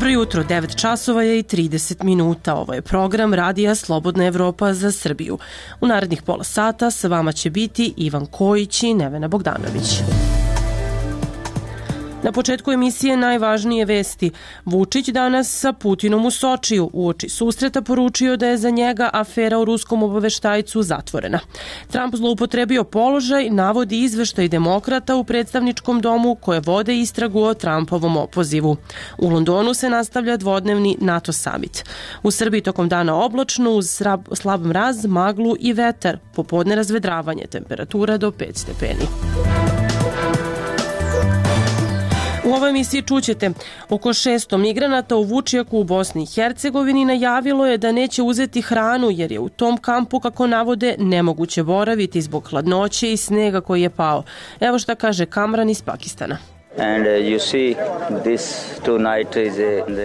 Dobro jutro, 9 časova je i 30 minuta. Ovo je program Radija Slobodna Evropa za Srbiju. U narednih pola sata sa vama će biti Ivan Kojić i Nevena Bogdanović. Na početku emisije najvažnije vesti. Vučić danas sa Putinom u Sočiju. Uoči susreta poručio da je za njega afera o ruskom obaveštajcu zatvorena. Trump zloupotrebio položaj, navodi izveštaj demokrata u predstavničkom domu koje vode istragu o Trumpovom opozivu. U Londonu se nastavlja dvodnevni NATO summit. U Srbiji tokom dana oblačno uz slab mraz, maglu i vetar. Popodne razvedravanje, temperatura do 5 stepeni. U ovoj emisiji čućete, oko 600 migranata u Vučjaku u Bosni i Hercegovini najavilo je da neće uzeti hranu jer je u tom kampu, kako navode, nemoguće boraviti zbog hladnoće i snega koji je pao. Evo šta kaže Kamran iz Pakistana.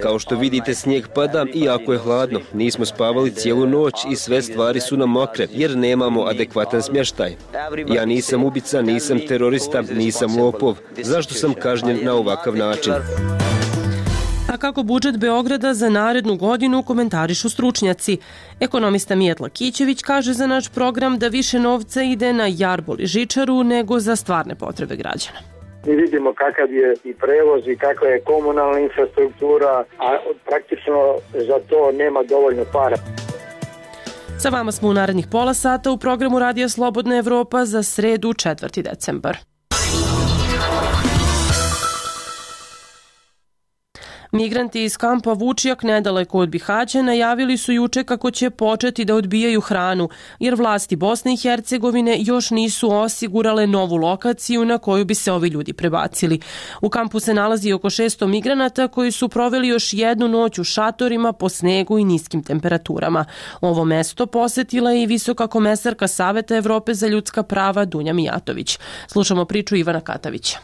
Kao što vidite, snijeg pada i jako je hladno. Nismo spavali cijelu noć i sve stvari su nam mokre jer nemamo adekvatan smještaj. Ja nisam ubica, nisam terorista, nisam lopov. Zašto sam kažnjen na ovakav način? A kako budžet Beograda za narednu godinu komentarišu stručnjaci. Ekonomista Mijetla Kićević kaže za naš program da više novca ide na Jarbol i Žičaru nego za stvarne potrebe građana. Mi vidimo kakav je i prevoz i kakva je komunalna infrastruktura, a praktično za to nema dovoljno para. Sa vama smo u narednih pola sata u programu Radija Slobodna Evropa za sredu 4. decembar. Migranti iz kampa Vučjak nedaleko od Bihaća najavili su juče kako će početi da odbijaju hranu, jer vlasti Bosne i Hercegovine još nisu osigurale novu lokaciju na koju bi se ovi ljudi prebacili. U kampu se nalazi oko 600 migranata koji su proveli još jednu noć u šatorima po snegu i niskim temperaturama. Ovo mesto posetila je i visoka komesarka Saveta Evrope za ljudska prava Dunja Mijatović. Slušamo priču Ivana Katavića.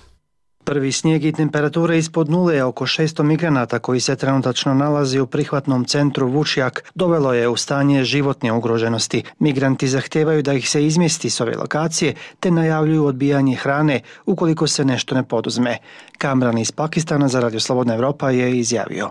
Prvi snijeg i temperature ispod nule je oko 600 migranata koji se trenutačno nalazi u prihvatnom centru Vučjak dovelo je u stanje životne ugroženosti. Migranti zahtijevaju da ih se izmjesti s ove lokacije te najavljuju odbijanje hrane ukoliko se nešto ne poduzme. Kamran iz Pakistana za Radio Slobodna Evropa je izjavio.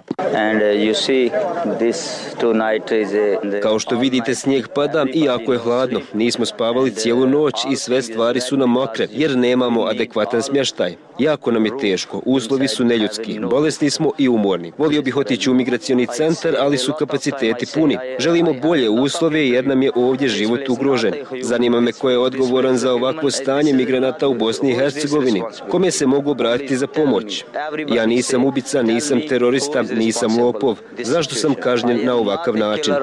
Kao što vidite, snijeg pada i jako je hladno. Nismo spavali cijelu noć i sve stvari su nam mokre jer nemamo adekvatan smještaj. Jako nam je teško, uslovi su neljudski, bolesni smo i umorni. Volio bih otići u migracioni centar, ali su kapaciteti puni. Želimo bolje uslove jer nam je ovdje život ugrožen. Zanima me ko je odgovoran za ovakvo stanje migranata u Bosni i Hercegovini. Kome se mogu obratiti za pomoć? Ja nisam ubica, nisam terorista, nisam lopov. Zašto sam kažnjen na ovakav način?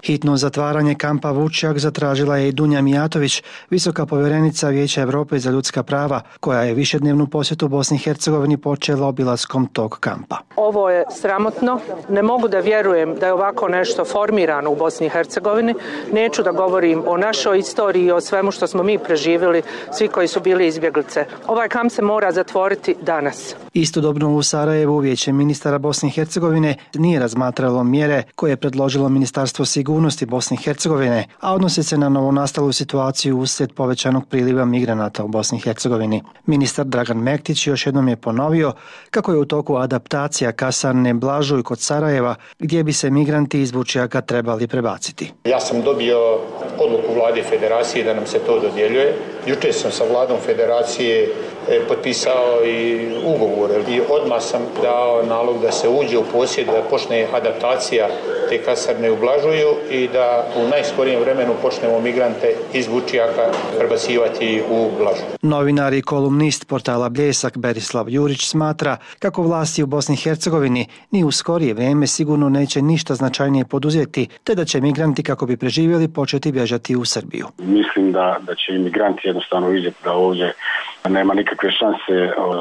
Hitno zatvaranje kampa Vučjak zatražila je i Dunja Mijatović, visoka povjerenica Vijeća Europe za ljudska prava, koja je višednevnu posjetu Bosni i Hercegovini počela obilaskom tog kampa. Ovo je sramotno. Ne mogu da vjerujem da je ovako nešto formirano u Bosni i Hercegovini. Neću da govorim o našoj istoriji i o svemu što smo mi preživjeli, svi koji su bili izbjeglice. Ovaj kamp se mora zatvoriti danas. Istodobno u Sarajevu Vijeće ministara Bosne i Hercegovine nije razmatralo mjere koje je predložilo Ministarstvo sigurnosti Bosne i Hercegovine, a odnose se na novonastalu situaciju uslijed povećanog priliva migranata u Bosni i Hercegovini. Ministar Dragan Mektić još jednom je ponovio kako je u toku adaptacija kasarne Blažuj kod Sarajeva, gdje bi se migranti iz Vučjaka trebali prebaciti. Ja sam dobio odluku vlade federacije da nam se to dodjeljuje. Jučer sam sa vladom federacije potpisao i ugovor i odmah sam dao nalog da se uđe u posjed, da počne adaptacija te kasarne u Blažuju i da u najskorijem vremenu počnemo migrante iz Vučjaka prebacivati u Blažuju. Novinar i kolumnist portala Bljesak Berislav Jurić smatra kako vlasti u Bosni i Hercegovini ni u skorije vrijeme sigurno neće ništa značajnije poduzeti, te da će migranti kako bi preživjeli početi bježati u Srbiju. Mislim da će imigranti jednostavno vidjeti da ovdje nema nikakve šanse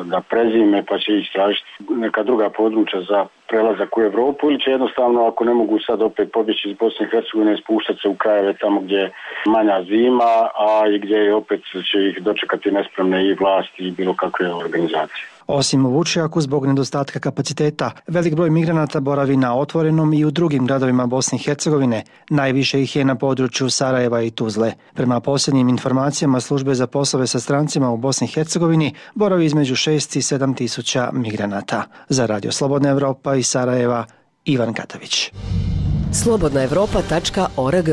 da prezime, pa će ići tražiti neka druga područja za prelazak u Europu ili će jednostavno, ako ne mogu sad opet pobjeći iz Bosne i Hercegovine, spuštati se u krajeve tamo gdje je manja zima, a i gdje opet će ih dočekati nespremne i vlasti i bilo kakve organizacije. Osim u Vučjaku, zbog nedostatka kapaciteta, velik broj migranata boravi na otvorenom i u drugim gradovima Bosne i Hercegovine. Najviše ih je na području Sarajeva i Tuzle. Prema posljednjim informacijama službe za poslove sa strancima u Bosni i Hercegovini boravi između 6 i 7 tisuća migranata. Za Radio Slobodna Evropa iz Sarajeva, Ivan Katavić. slobodnaevropa.org.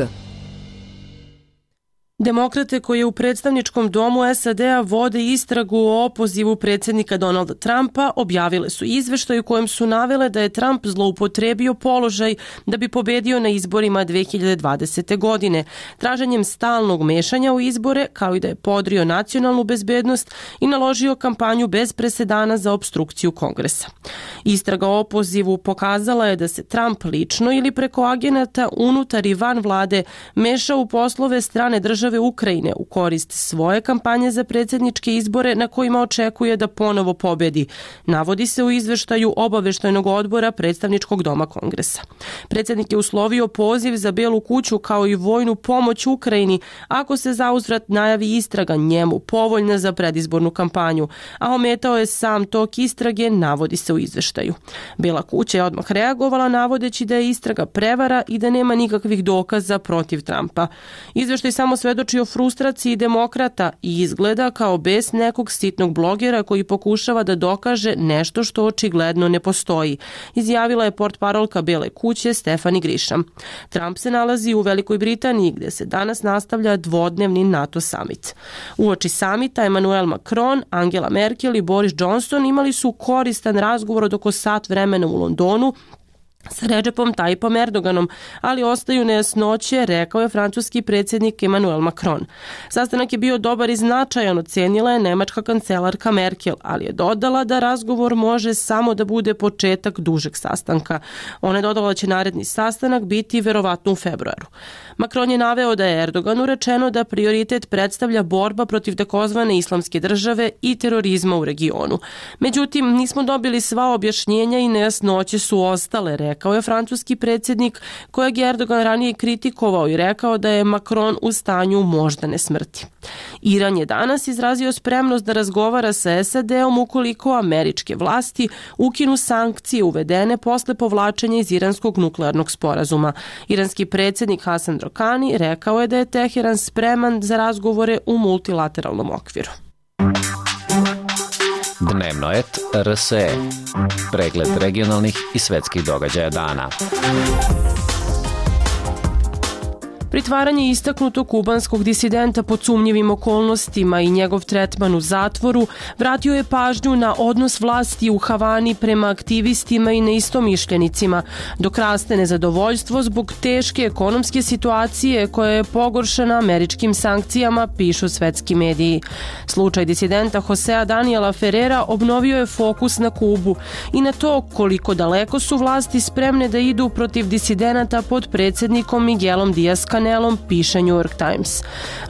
Demokrate koji u predstavničkom domu SAD-a vode istragu o opozivu predsjednika Donalda Trumpa objavile su izveštaj u kojem su navele da je Trump zloupotrebio položaj da bi pobedio na izborima 2020. godine, traženjem stalnog mešanja u izbore, kao i da je podrio nacionalnu bezbednost i naložio kampanju bez presedana za opstrukciju Kongresa. Istraga o opozivu pokazala je da se Trump lično ili preko agenata unutar i van vlade meša u poslove strane države Ukrajine u korist svoje kampanje za predsjedničke izbore na kojima očekuje da ponovo pobedi, navodi se u izveštaju obaveštajnog odbora predstavničkog doma Kongresa. Predsjednik je uslovio poziv za Belu kuću kao i vojnu pomoć Ukrajini ako se zauzvrat najavi istraga njemu povoljna za predizbornu kampanju, a ometao je sam tok istrage, navodi se u izveštaju. Bela kuća je odmah reagovala navodeći da je istraga prevara i da nema nikakvih dokaza protiv Trumpa. Izveštaj samo svedoči o frustraciji demokrata i izgleda kao bes nekog sitnog blogera koji pokušava da dokaže nešto što očigledno ne postoji, izjavila je portparolka Bele kuće Stefani Grisham. Trump se nalazi u Velikoj Britaniji gdje se danas nastavlja dvodnevni NATO summit. Uoči samita Emmanuel Macron, Angela Merkel i Boris Johnson imali su koristan razgovor od oko sat vremena u Londonu sa Recepom Tayyipom Erdoganom, ali ostaju nejasnoće, rekao je francuski predsjednik Emmanuel Macron. Sastanak je bio dobar i značajan, ocenila je nemačka kancelarka Merkel, ali je dodala da razgovor može samo da bude početak dužeg sastanka. Ona je dodala da će naredni sastanak biti verovatno u februaru. Macron je naveo da je Erdoganu rečeno da prioritet predstavlja borba protiv takozvane islamske države i terorizma u regionu. Međutim, nismo dobili sva objašnjenja i nejasnoće su ostale, rekao je francuski predsjednik kojeg je Erdogan ranije kritikovao i rekao da je Macron u stanju moždane smrti. Iran je danas izrazio spremnost da razgovara sa SAD-om ukoliko američke vlasti ukinu sankcije uvedene posle povlačenja iz iranskog nuklearnog sporazuma. Iranski predsjednik Hasan Rohani rekao je da je Teheran spreman za razgovore u multilateralnom okviru. Dnevno et RSE. Pregled regionalnih i svetskih događaja dana. Pritvaranje istaknutog kubanskog disidenta pod sumnjivim okolnostima i njegov tretman u zatvoru vratio je pažnju na odnos vlasti u Havani prema aktivistima i neistomišljenicima, dok raste nezadovoljstvo zbog teške ekonomske situacije koja je pogoršana američkim sankcijama, pišu svetski mediji. Slučaj disidenta Josea Daniela Ferrera obnovio je fokus na Kubu i na to koliko daleko su vlasti spremne da idu protiv disidenata pod predsjednikom Miguelom Díaz-Canelom, piše New York Times.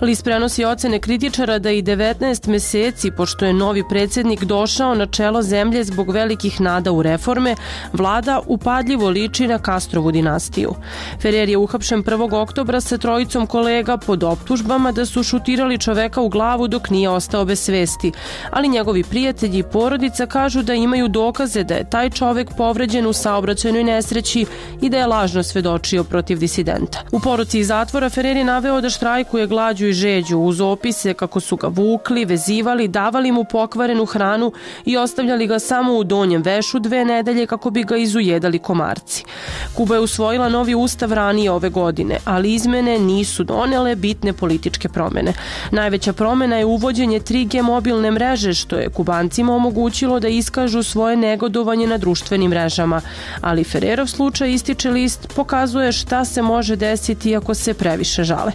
List prenosi ocene kritičara da i 19 meseci, pošto je novi predsjednik došao na čelo zemlje zbog velikih nada u reforme, vlada upadljivo liči na Castrovu dinastiju. Ferrer je uhapšen 1. oktobra sa trojicom kolega pod optužbama da su šutirali čoveka u glavu dok nije ostao bez svesti, ali njegovi prijatelji i porodica kažu da imaju dokaze da je taj čovek povređen u saobraćajnoj nesreći i da je lažno svedočio protiv disidenta. U poruci iz zatvora Ferrer je naveo da štrajkuje glađu i žeđu uz opise kako su ga vukli, vezivali, davali mu pokvarenu hranu i ostavljali ga samo u donjem vešu 2 nedelje kako bi ga izujedali komarci. Kuba je usvojila novi ustav ranije ove godine, ali izmene nisu donele bitne političke promene. Najveća promena je uvođenje 3G mobilne mreže, što je Kubancima omogućilo da iskažu svoje negodovanje na društvenim mrežama. Ali Ferrerov slučaj, ističe list, pokazuje šta se može desiti ako se previše žale.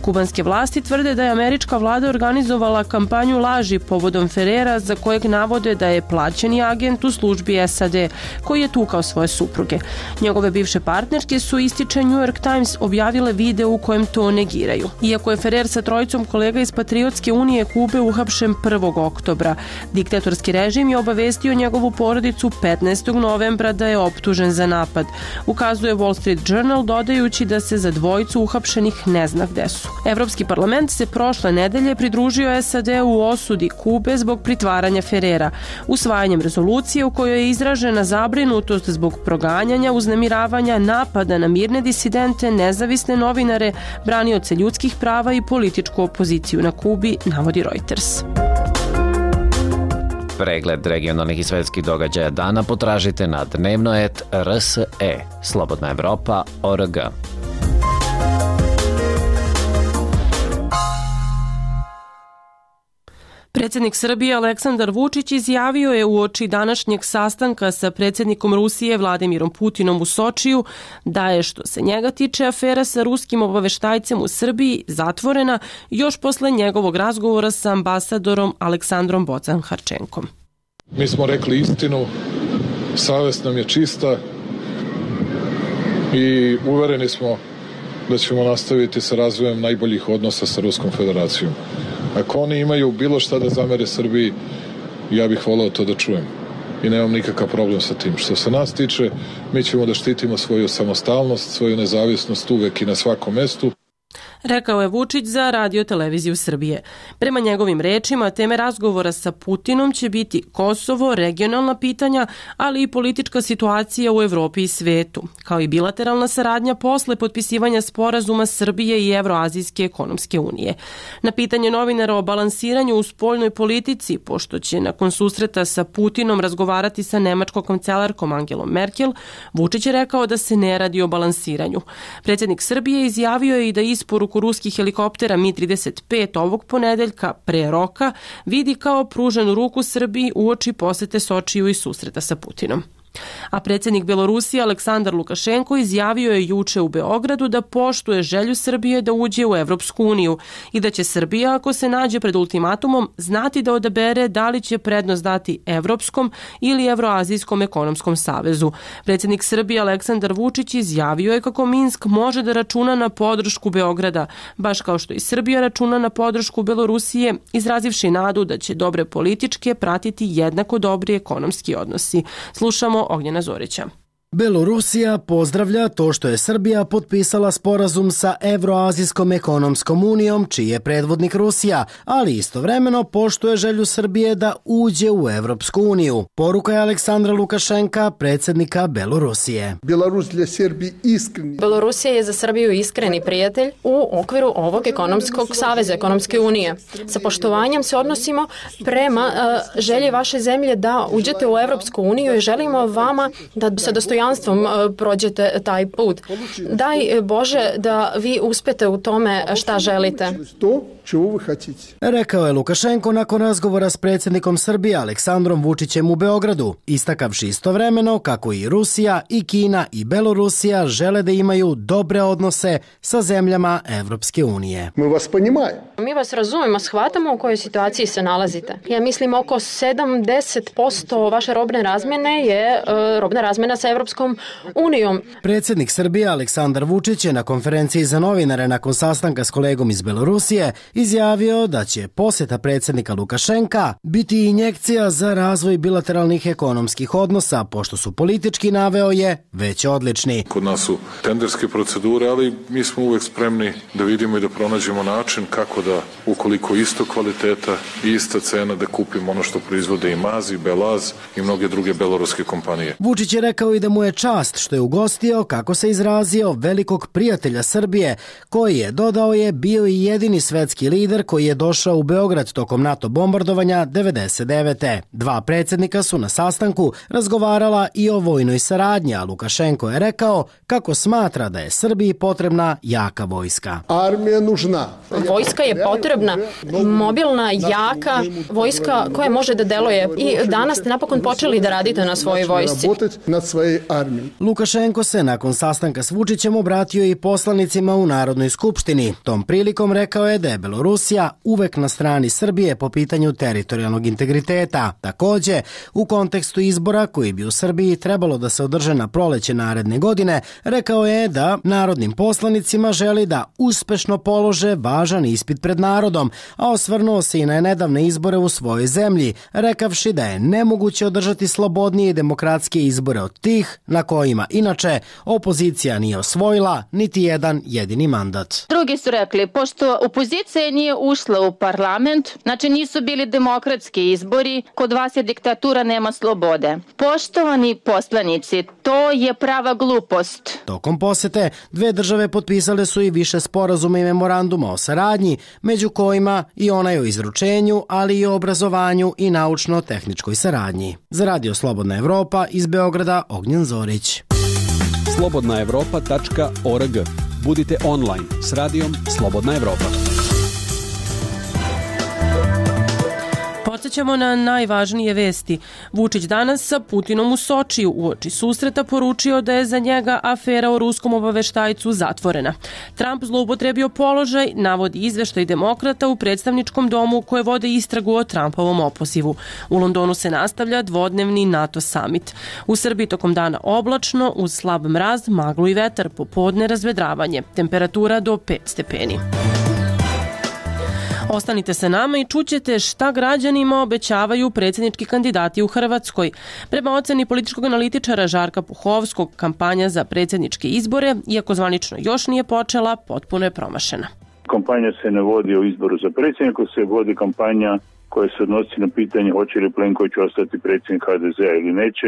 Kubanske vlasti tvrde da je američka vlada organizovala kampanju laži povodom Ferrera, za kojeg navode da je plaćeni agent u službi SAD koji je tukao svoje supruge. Njegove bivše partnerke su, ističe New York Times, objavile video u kojem to negiraju. Iako je Ferrer sa trojicom kolega iz Patriotske unije Kube uhapšen 1. oktobra, diktatorski režim je obavestio njegovu porodicu 15. novembra da je optužen za napad. Ukazuje Wall Street Journal, dodajući da se za dvojicu uhapšenih ne zna gde su. Evropski parlament se prošle nedelje pridružio SAD u osudi Kube zbog pritvaranja Ferrera, usvajanjem rezolucije u kojoj je izražena zabrinutost zbog proganjanja, uznemiravanja, napada na mirne disidente, nezavisne novinare, branioce ljudskih prava i političku opoziciju na Kubi, navodi Reuters. Pregled regionalnih i svetskih događaja dana potražite na dnevnoet.rse, Slobodna Evropa.org. Predsjednik Srbije Aleksandar Vučić izjavio je uoči današnjeg sastanka sa predsjednikom Rusije Vladimirom Putinom u Sočiju da je, što se njega tiče, afera sa ruskim obaveštajcem u Srbiji zatvorena još posle njegovog razgovora sa ambasadorom Aleksandrom Bocan-Harčenkom. Mi smo rekli istinu, savest nam je čista i uvereni smo da ćemo nastaviti sa razvojem najboljih odnosa sa Ruskom federacijom. Ako oni imaju bilo šta da zamere Srbiji, ja bih volao to da čujem. I nemam nikakav problem sa tim. Što se nas tiče, mi ćemo da štitimo svoju samostalnost, svoju nezavisnost uvek i na svakom mestu. Rekao je Vučić za Radio televiziju Srbije. Prema njegovim rečima, teme razgovora sa Putinom će biti Kosovo, regionalna pitanja, ali i politička situacija u Evropi i svetu, kao i bilateralna saradnja posle potpisivanja sporazuma Srbije i Evroazijske ekonomske unije. Na pitanje novinara o balansiranju u spoljnoj politici, pošto će nakon susreta sa Putinom razgovarati sa nemačkom kancelarkom Angelom Merkel, Vučić je rekao da se ne radi o balansiranju. Predsjednik Srbije izjavio je i da isporuku ruskih helikoptera Mi-35 ovog ponedeljka pre roka vidi kao pruženu ruku Srbiji uoči posete Sočiju i susreta sa Putinom. A predsjednik Belorusije Aleksandar Lukašenko izjavio je juče u Beogradu da poštuje želju Srbije da uđe u Evropsku uniju i da će Srbija, ako se nađe pred ultimatumom, znati da odabere da li će prednost dati Evropskom ili Evroazijskom ekonomskom savezu. Predsjednik Srbije Aleksandar Vučić izjavio je kako Minsk može da računa na podršku Beograda, baš kao što i Srbija računa na podršku Belorusije, izrazivši nadu da će dobre političke pratiti jednako dobri ekonomski odnosi. Slušamo Ognjena Zorića. Belorusija pozdravlja to što je Srbija potpisala sporazum sa Evroazijskom ekonomskom unijom, čiji je predvodnik Rusija, ali istovremeno poštuje želju Srbije da uđe u Evropsku uniju. Poruka je Aleksandra Lukašenka, predsjednika Belorusije. Belorusija je za Srbiju iskreni prijatelj u okviru ovog ekonomskog saveza, ekonomske unije. Sa poštovanjem se odnosimo prema želji vaše zemlje da uđete u Evropsku uniju i želimo vama da sa dostojanstvom prođete taj put. Daj Bože da vi uspete u tome šta želite. Rekao je Lukašenko nakon razgovora s predsjednikom Srbije Aleksandrom Vučićem u Beogradu, istakavši istovremeno kako i Rusija, i Kina, i Belorusija žele da imaju dobre odnose sa zemljama Evropske unije. Mi vas razumemo, shvatamo u kojoj situaciji se nalazite. Ja mislim oko 70% vaše robne razmjene je robna razmjena sa Evropskom unijom. Predsjednik Srbije Aleksandar Vučić je na konferenciji za novinare nakon sastanka s kolegom iz Belorusije izjavio da će posjeta predsjednika Lukašenka biti injekcija za razvoj bilateralnih ekonomskih odnosa, pošto su politički, naveo je, već odlični. Kod nas su tenderske procedure, ali mi smo uvek spremni da vidimo i da pronađemo način kako da, ukoliko isto kvaliteta i ista cena, da kupimo ono što proizvode i Maz, i Belaz i mnoge druge beloruske kompanije. Vučić je rekao i da mu je čast što je ugostio, kako se izrazio, velikog prijatelja Srbije, koji je, dodao je, bio i jedini svetski lider koji je došao u Beograd tokom NATO bombardovanja 1999. Dva predsjednika su na sastanku razgovarala i o vojnoj saradnji, a Lukašenko je rekao kako smatra da je Srbiji potrebna jaka vojska. Armija nužna. Vojska je potrebna, mobilna, jaka vojska koja može da deluje. I danas ste napokon počeli da radite na svojoj vojsci. armiji. Lukašenko se nakon sastanka s Vučićem obratio i poslanicima u Narodnoj skupštini. Tom prilikom rekao je da je Belorusija uvek na strani Srbije po pitanju teritorijalnog integriteta. Takođe, u kontekstu izbora koji bi u Srbiji trebalo da se održe na proleće naredne godine, rekao je da narodnim poslanicima želi da uspešno polože važan ispit pred narodom, a osvrnuo se i na nedavne izbore u svojoj zemlji, rekavši da je nemoguće održati slobodnije i demokratske izbore od tih na kojima inače opozicija nije osvojila niti jedan jedini mandat. Drugi su rekli, pošto opozicija nije ušla u parlament, znači nisu bili demokratski izbori, kod vas je diktatura, nema slobode. Poštovani poslanici, to je prava glupost. Tokom posete, dve države potpisale su i više sporazuma i memoranduma o saradnji, među kojima i onaj o izručenju, ali i o obrazovanju i naučno-tehničkoj saradnji. Za Radio Slobodna Evropa iz Beograda, Ognjen Zorić. slobodnaevropa.org. Budite online s radijom Slobodna Evropa. Podsjećamo na najvažnije vesti. Vučić danas sa Putinom u Sočiju uoči susreta poručio da je za njega afera o ruskom obaveštajcu zatvorena. Trump zloupotrebio položaj, navodi izveštaj demokrata u predstavničkom domu koje vode istragu o Trumpovom opozivu. U Londonu se nastavlja dvodnevni NATO summit. U Srbiji tokom dana oblačno, uz slab mraz, maglu i vetar, popodne razvedravanje. Temperatura do 5 stepeni. Ostanite sa nama i čućete šta građanima obećavaju predsjednički kandidati u Hrvatskoj. Prema oceni političkog analitičara Žarka Puhovskog, kampanja za predsjedničke izbore, iako zvanično još nije počela, potpuno je promašena. Kampanja se ne vodi o izboru za predsjednika, se vodi kampanja koja se odnosi na pitanje hoće li Plenković ostati predsjednik HDZ-a ili neće.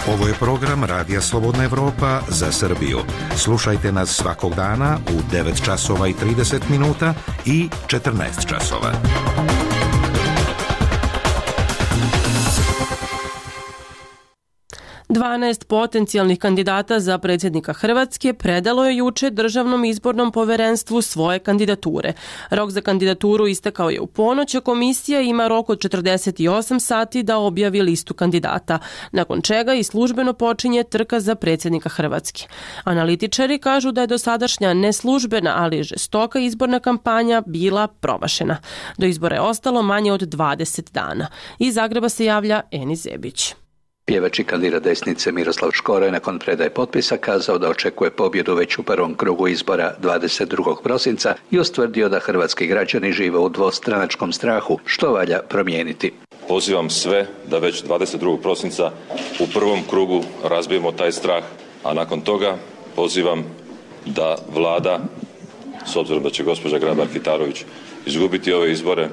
Ovo je program Radija Slobodna Evropa za Srbiju. Slušajte nas svakog dana u 9 časova i 30 minuta i 14 časova. 12 potencijalnih kandidata za predsjednika Hrvatske predalo je juče Državnom izbornom povjerenstvu svoje kandidature. Rok za kandidaturu istekao je u ponoć, a komisija ima rok od 48 sati da objavi listu kandidata, nakon čega i službeno počinje trka za predsjednika Hrvatske. Analitičari kažu da je dosadašnja neslužbena, ali žestoka izborna kampanja bila promašena. Do izbora je ostalo manje od 20 dana. Iz Zagreba se javlja Eni Zebić. Pjevač i kandidat desnice Miroslav Škoro je nakon predaje potpisa kazao da očekuje pobjedu već u prvom krugu izbora 22. prosinca i ustvrdio da hrvatski građani žive u dvostranačkom strahu, što valja promijeniti. Pozivam sve da već 22. prosinca u prvom krugu razbijemo taj strah, a nakon toga pozivam da vlada, s obzirom da će gospođa Grabar-Kitarović izgubiti ove izbore,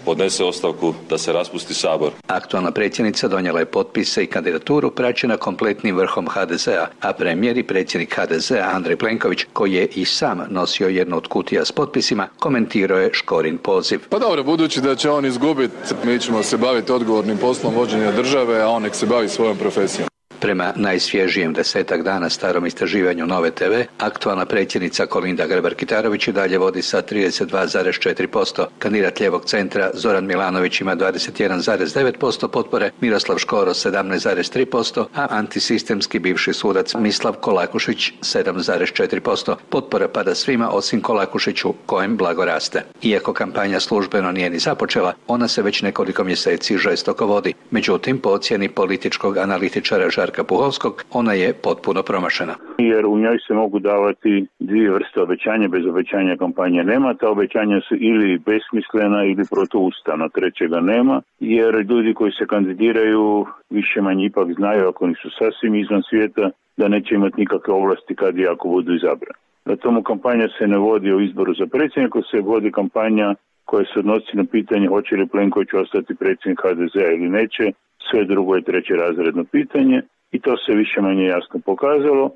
podnese ostavku, da se raspusti Sabor. Aktualna predsjednica donijela je potpise i kandidaturu praćena kompletnim vrhom HDZ-a, a premijer i predsjednik HDZ-a Andrej Plenković, koji je i sam nosio jednu od kutija s potpisima, komentirao je Škorin poziv. Pa dobro, budući da će on izgubiti, mi ćemo se baviti odgovornim poslom vođenja države, a on nek se bavi svojom profesijom. Prema najsvježijem 10 dana starom istraživanju Nove TV, aktualna predsjednica Kolinda Grabar-Kitarović i dalje vodi sa 32,4%. Kandidat lijevog centra Zoran Milanović ima 21,9% potpore, Miroslav Škoro 17,3%, a antisistemski bivši sudac Mislav Kolakušić 7,4%. Potpora pada svima osim Kolakušiću, kojem blago raste. Iako kampanja službeno nije ni započela, ona se već nekoliko mjeseci žestoko vodi. Međutim, po ocjeni političkog analitičara Žarka Puhovskog, ona je potpuno promašena. Jer u njoj se mogu davati dvije vrste obećanja, bez obećanja kampanje nema, ta obećanja su ili besmislena ili protuustavna, trećega nema, jer ljudi koji se kandidiraju više manje ipak znaju, ako nisu sasvim izvan svijeta, da neće imati nikakve ovlasti kad i ako budu izabrani. Na tomu kampanja se ne vodi o izboru za predsjednika, se vodi kampanja koja se odnosi na pitanje hoće li Plenković ostati predsjednik HDZ-a ili neće. Sve drugo je trećerazredno pitanje i to se više manje jasno pokazalo.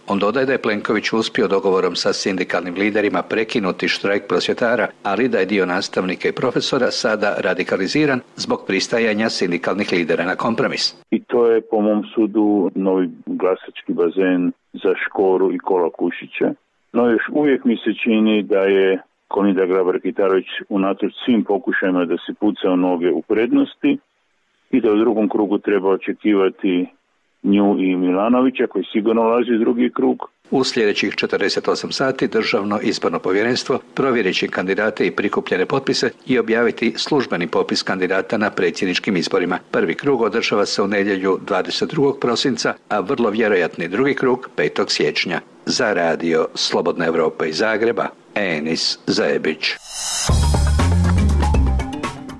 On dodaje da je Plenković uspio dogovorom sa sindikalnim liderima prekinuti štrajk prosvjetara, ali da je dio nastavnika i profesora sada radikaliziran zbog pristajanja sindikalnih lidera na kompromis. I to je po mom sudu novi glasački bazen za Škoru i Kolakušića. No još uvijek mi se čini da je Kolinda Grabar-Kitarović unatoč svim pokušajima da se puca u noge u prednosti, i da u drugom krugu treba očekivati nju i Milanovića koji sigurno ulazi u drugi krug. U sljedećih 48 sati Državno izborno povjerenstvo provjerit će kandidate i prikupljene potpise i objaviti službeni popis kandidata na predsjedničkim izborima. Prvi krug održava se u nedjelju 22. prosinca, a vrlo vjerojatni drugi krug 5. siječnja. Za radio Slobodna Evropa iz Zagreba, Enis Zajebić.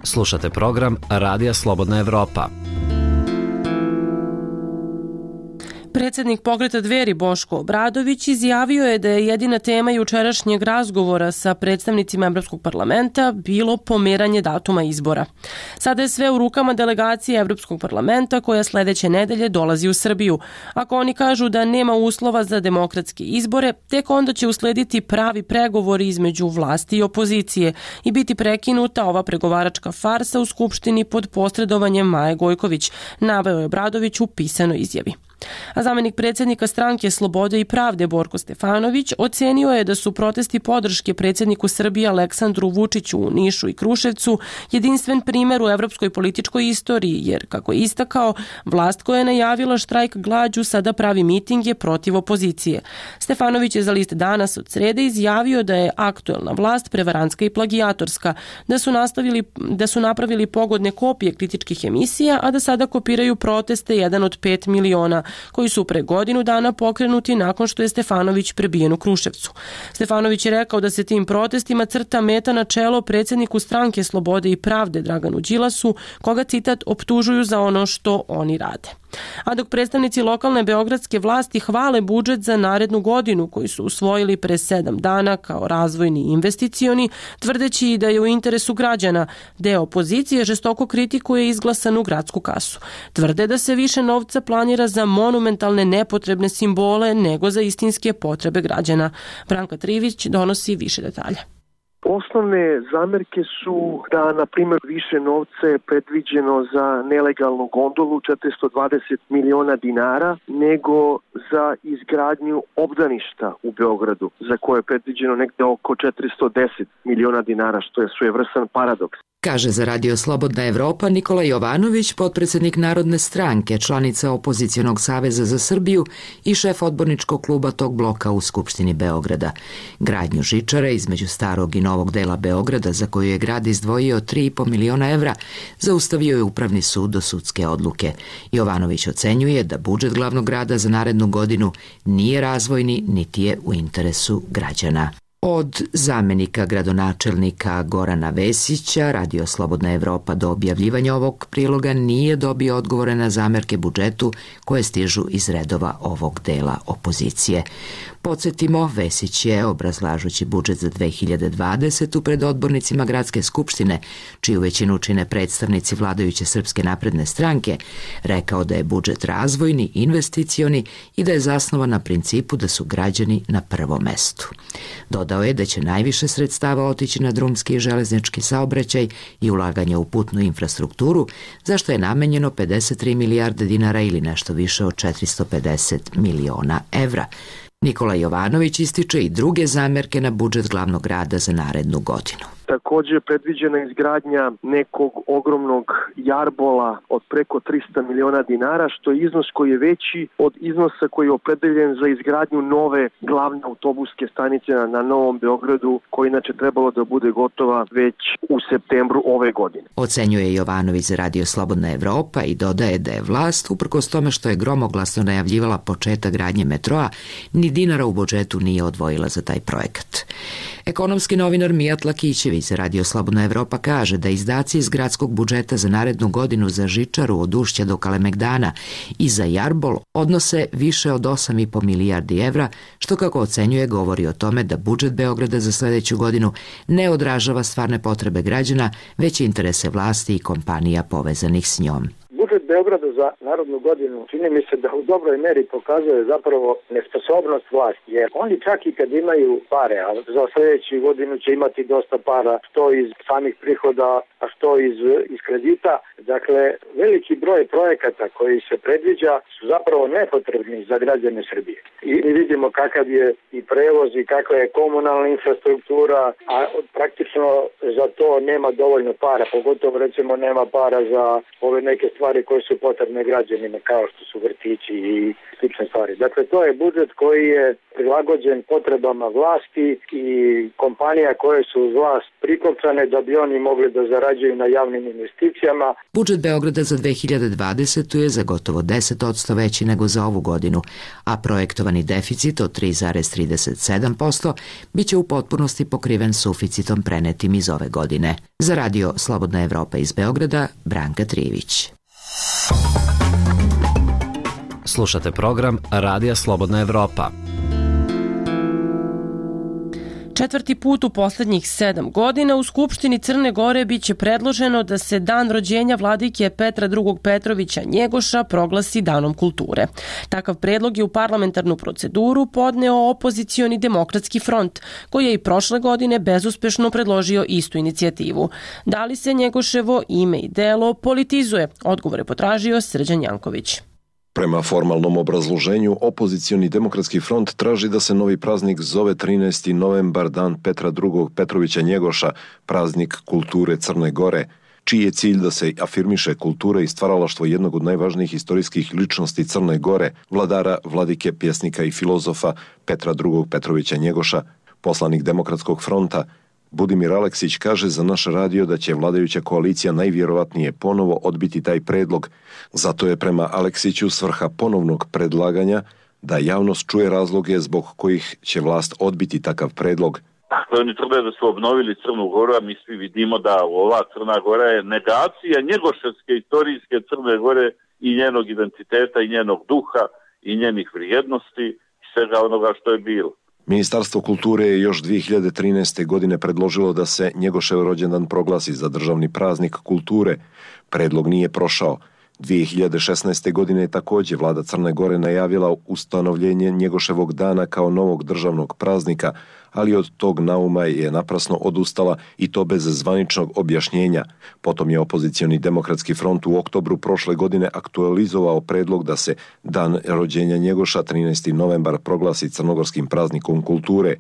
Slušate program Radija Slobodna Evropa. Predsjednik Pokreta Dveri Boško Obradović izjavio je da je jedina tema jučerašnjeg razgovora sa predstavnicima Evropskog parlamenta bilo pomeranje datuma izbora. Sada je sve u rukama delegacije Evropskog parlamenta koja sljedeće nedelje dolazi u Srbiju. Ako oni kažu da nema uslova za demokratske izbore, tek onda će uslediti pravi pregovori između vlasti i opozicije i biti prekinuta ova pregovaračka farsa u Skupštini pod posredovanjem Maje Gojković, naveo je Obradović u pisanoj izjavi. A zamjenik predsjednika stranke Slobode i pravde Borko Stefanović ocenio je da su protesti podrške predsjedniku Srbije Aleksandru Vučiću u Nišu i Kruševcu jedinstven primjer u evropskoj političkoj istoriji, jer, kako je istakao, vlast koja je najavila štrajk glađu sada pravi mitinge protiv opozicije. Stefanović je za list Danas od srede izjavio da je aktuelna vlast prevarantska i plagijatorska, da su napravili pogodne kopije kritičkih emisija, a da sada kopiraju proteste 1 od 5 miliona koji su pre godinu dana pokrenuti nakon što je Stefanović prebijen u Kruševcu. Stefanović je rekao da se tim protestima crta meta na čelo predsjedniku stranke Slobode i pravde Draganu Đilasu, koga, citat, optužuju za ono što oni rade. A dok predstavnici lokalne beogradske vlasti hvale budžet za narednu godinu koji su usvojili pre 7 dana kao razvojni i investicioni, tvrdeći da je u interesu građana, deo opozicije žestoko kritikuje izglasanu gradsku kasu. Tvrde da se više novca planira za monumentalne nepotrebne simbole nego za istinske potrebe građana. Branka Trivić donosi više detalja. Osnovne zamerke su da, na primjer, više novca je predviđeno za nelegalnu gondolu 420 miliona dinara nego za izgradnju obdaništa u Beogradu, za koje je predviđeno negde oko 410 miliona dinara, što je svojevrstan paradoks. Kaže za Radio Slobodna Evropa Nikola Jovanović, potpredsjednik Narodne stranke, članica Opozicionog saveza za Srbiju i šef odborničkog kluba tog bloka u Skupštini Beograda. Gradnju žičare između starog i novog dela Beograda, za koju je grad izdvojio 3,5 miliona evra, zaustavio je Upravni sud do sudske odluke. Jovanović ocenjuje da budžet glavnog grada za narednu godinu nije razvojni niti je u interesu građana. Od zamjenika gradonačelnika Gorana Vesića, Radio Slobodna Evropa do objavljivanja ovog priloga nije dobio odgovore na zamerke budžetu koje stižu iz redova ovog dela opozicije. Podsjetimo, Vesić je, obrazlažući budžet za 2020. pred odbornicima Gradske skupštine, čiju većinu čine predstavnici vladajuće Srpske napredne stranke, rekao da je budžet razvojni, investicioni i da je zasnovan na principu da su građani na prvom mestu. Dodao je da će najviše sredstava otići na drumski i železnički saobraćaj i ulaganje u putnu infrastrukturu, za što je namenjeno 53 milijarde dinara ili nešto više od 450 miliona evra. Nikola Jovanović ističe i druge zamerke na budžet glavnog grada za narednu godinu. Također je predviđena izgradnja nekog ogromnog jarbola od preko 300 miliona dinara, što je iznos koji je veći od iznosa koji je opredeljen za izgradnju nove glavne autobuske stanice na Novom Beogradu, koja inače trebalo da bude gotova već u septembru ove godine. Ocenjuje Jovanović za Radio Slobodna Evropa i dodaje da je vlast, uprkos tome što je gromoglasno najavljivala početak gradnje metroa, ni dinara u budžetu nije odvojila za taj projekat. Ekonomski novinar Mijat Lakićević za Radio Slobodna Evropa kaže da izdaci iz gradskog budžeta za narednu godinu za žičaru od Ušća do Kalemegdana i za jarbol odnose više od 8,5 milijardi evra, što, kako ocenjuje, govori o tome da budžet Beograda za sljedeću godinu ne odražava stvarne potrebe građana, već interese vlasti i kompanija povezanih s njom. budžet Beograda za Narodnu godinu čini mi se da u dobroj meri pokazuje zapravo nesposobnost vlasti, jer oni čak i kad imaju pare, a za sljedeću godinu će imati dosta para, što iz samih prihoda, a što iz kredita. Dakle, veliki broj projekata koji se predviđa su zapravo nepotrebni za građane Srbije. I vidimo kakav je i prevoz i kakva je komunalna infrastruktura, a praktično za to nema dovoljno para, pogotovo recimo nema para za ove neke stvari koje su potrebne građanima, kao što su vrtići i slične stvari. Dakle, to je budžet koji je prilagođen potrebama vlasti i kompanija koje su uz vlast prikopčane da bi oni mogli da zarađuju na javnim investicijama. Budžet Beograda za 2020. je za gotovo 10% veći nego za ovu godinu, a projektovani deficit od 3,37% biće u potpunosti pokriven suficitom prenetim iz ove godine. Za radio Slobodna Evropa iz Beograda, Branka Trijević. Slušate program Radija Slobodna Evropa. Četvrti put u poslednjih 7 godina u Skupštini Crne Gore biće predloženo da se dan rođenja vladike Petra II. Petrovića Njegoša proglasi danom kulture. Takav predlog je u parlamentarnu proceduru podneo opozicioni Demokratski front, koji je i prošle godine bezuspešno predložio istu inicijativu. Da li se Njegoševo ime i delo politizuje? Odgovore potražio Srđan Janković. Prema formalnom obrazloženju, opozicioni Demokratski front traži da se novi praznik zove 13. novembar, dan Petra II. Petrovića Njegoša, praznik kulture Crne Gore, čiji je cilj da se afirmiše kultura i stvaralaštvo jednog od najvažnijih istorijskih ličnosti Crne Gore, vladara, vladike, pjesnika i filozofa Petra II. Petrovića Njegoša. Poslanik Demokratskog fronta Budimir Aleksić kaže za naš radio da će vladajuća koalicija najvjerovatnije ponovo odbiti taj predlog. Zato je prema Aleksiću svrha ponovnog predlaganja da javnost čuje razloge zbog kojih će vlast odbiti takav predlog. Dakle, oni tvrde da su obnovili Crnu Goru, a mi svi vidimo da ova Crna Gora je negacija njegoševske istorijske Crne Gore i njenog identiteta i njenog duha i njenih vrijednosti i svega onoga što je bilo. Ministarstvo kulture je još 2013. godine predložilo da se Njegošev rođendan proglasi za državni praznik kulture. Predlog nije prošao. 2016. godine je također vlada Crne Gore najavila ustanovljenje Njegoševog dana kao novog državnog praznika, ali od tog nauma je naprasno odustala i to bez zvaničnog objašnjenja. Potom je opozicioni Demokratski front u oktobru prošle godine aktualizovao predlog da se dan rođenja Njegoša 13. novembar proglasi crnogorskim praznikom kulture.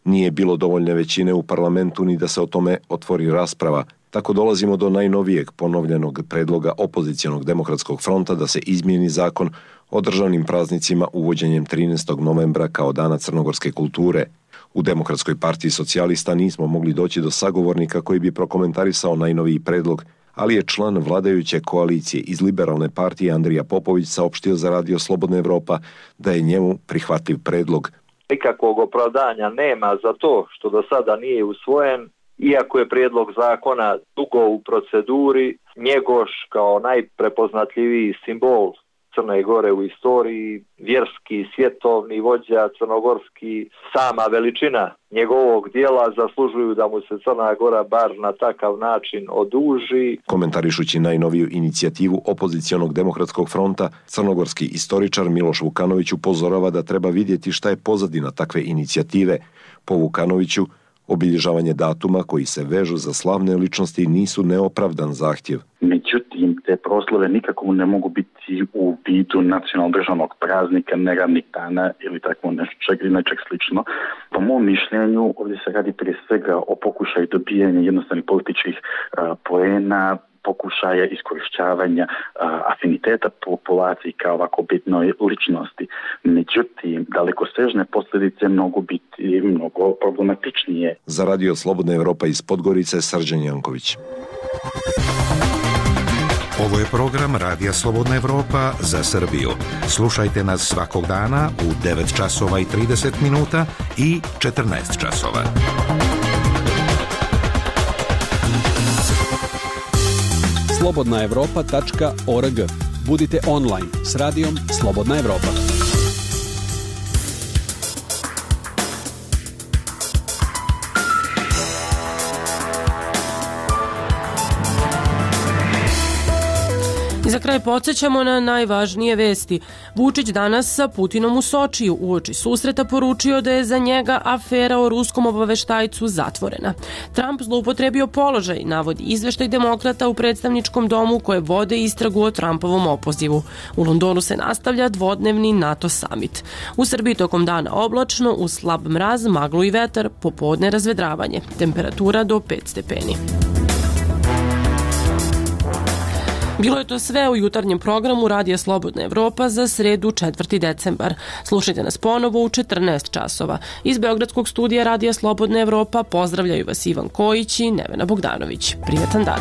Nije bilo dovoljne većine u parlamentu ni da se o tome otvori rasprava. Tako dolazimo do najnovijeg ponovljenog predloga opozicijonog Demokratskog fronta da se izmijeni zakon o državnim praznicima uvođenjem 13. novembra kao dana crnogorske kulture. U Demokratskoj partiji socijalista nismo mogli doći do sagovornika koji bi prokomentarisao najnoviji predlog, ali je član vladajuće koalicije iz Liberalne partije Andrija Popović saopštio za radio Slobodna Evropa da je njemu prihvatljiv predlog. Nikakvog opravdanja nema za to što do sada nije usvojen, iako je prijedlog zakona dugo u proceduri. Njegoš kao najprepoznatljiviji simbol Crne Gore u istoriji, vjerski, svjetovni vođa crnogorski, sama veličina njegovog dijela zaslužuju da mu se Crna Gora bar na takav način oduži. Komentarišući najnoviju inicijativu opozicijonog Demokratskog fronta, crnogorski istoričar Miloš Vukanović upozorava da treba vidjeti šta je pozadina takve inicijative. Po Vukanoviću, obilježavanje datuma koji se vežu za slavne ličnosti nisu neopravdan zahtjev. Međutim, te proslave nikako ne mogu biti u vidu nacionalnog državnog praznika, neradnih dana ili tako nečeg slično. Po mom mišljenju, ovdje se radi prije svega o pokušaju dobijanja jednostavnih političkih poena, pokušaja iskorišćavanja afiniteta populaciji kao ovako bitnoj ličnosti. Međutim, dalekosežne posljedice mogu biti mnogo problematičnije. Za radio Slobodna Evropa iz Podgorice, Srđan Janković. Ovo je program Radija Slobodna Evropa za Srbiju. Slušajte nas svakog dana u 9 časova i 30 minuta i 14 časova. slobodnaevropa.org. Budite online s radijom Slobodna Evropa. Za kraj podsjećamo na najvažnije vesti. Vučić danas sa Putinom u Sočiju uoči susreta poručio da je za njega afera o ruskom obaveštajcu zatvorena. Trump zloupotrebio položaj, navodi izveštaj demokrata u predstavničkom domu koje vode istragu o Trumpovom opozivu. U Londonu se nastavlja dvodnevni NATO summit. U Srbiji tokom dana oblačno, uz slab mraz, maglu i vetar, popodne razvedravanje. Temperatura do 5 stepeni. Bilo je to sve u jutarnjem programu Radija Slobodna Evropa za sredu 4. decembar. Slušajte nas ponovo u 14 časova. Iz Beogradskog studija Radija Slobodna Evropa pozdravljaju vas Ivan Kojić i Nevena Bogdanović. Prijetan dan.